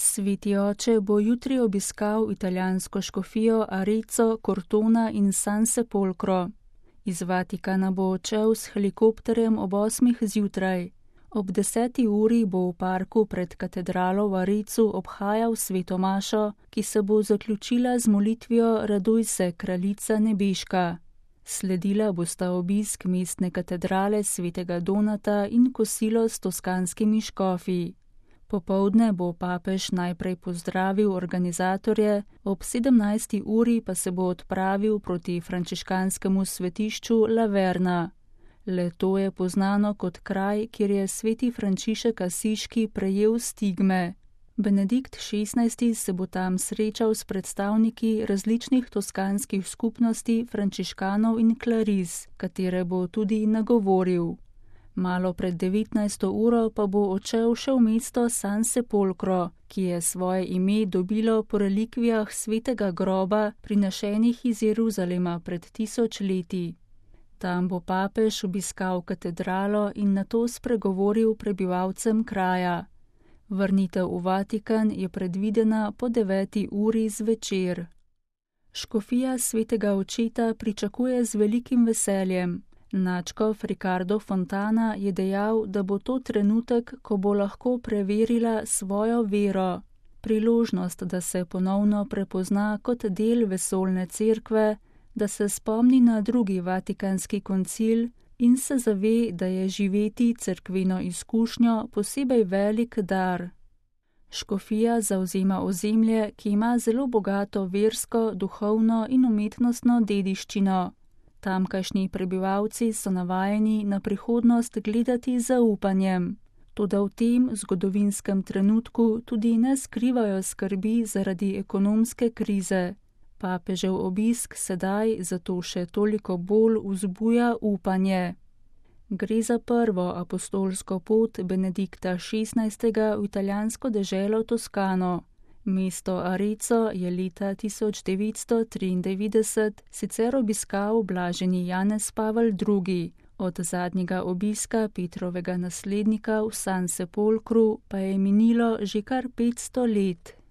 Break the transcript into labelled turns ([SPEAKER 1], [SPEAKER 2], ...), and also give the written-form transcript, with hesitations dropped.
[SPEAKER 1] Sveti oče bo jutri obiskal italijansko škofijo Arezzo, Cortona in San Sepolcro. Iz Vatikana bo odšel s helikopterjem ob 8. zjutraj. Ob 10. uri bo v parku pred katedralo v Arezzu obhajal sveto mašo, ki se bo zaključila z molitvijo Raduj se, kraljica nebeška. Sledila bosta obisk mestne katedrale svetega Donata in kosilo s toskanskimi škofi. Popoldne bo papež najprej pozdravil organizatorje, ob 17. uri pa se bo odpravil proti frančiškanskemu svetišču Laverna. Le to je poznano kot kraj, kjer je sveti Frančišek Asiški prejel stigme. Benedikt XVI. Se bo tam srečal s predstavniki različnih toskanskih skupnosti frančiškanov in klariz, katere bo tudi nagovoril. Malo pred 19. uro pa bo odšel še v mesto San Sepolcro, ki je svoje ime dobilo po relikvijah svetega groba, prinešenih iz Jeruzalema pred 1000 leti. Tam bo papež obiskal katedralo in nato spregovoril prebivalcem kraja. Vrnitev v Vatikan je predvidena po 9. uri zvečer. Škofija svetega očeta pričakuje z velikim veseljem. Nadškof Ricardo Fontana je dejal, da bo to trenutek, ko bo lahko preverila svojo vero. Priložnost, da se ponovno prepozna kot del vesoljne cerkve, da se spomni na drugi vatikanski koncil in se zave, da je živeti cerkveno izkušnjo posebej velik dar. Škofija zavzema ozemlje, ki ima zelo bogato versko, duhovno in umetnostno dediščino. Tamkajšnji prebivalci so navajeni na prihodnost gledati z zaupanjem. Toda v tem zgodovinskem trenutku tudi ne skrivajo skrbi zaradi ekonomske krize. Papežev obisk sedaj zato še toliko bolj vzbuja upanje. Gre za prvo apostolsko pot Benedikta XVI. V italijansko deželo Toskano. Mesto Arezzo je leta 1993 sicer obiskal blaženi Janez Pavel II., od zadnjega obiska Petrovega naslednika v San Sepolcru pa je minilo že kar 500 let.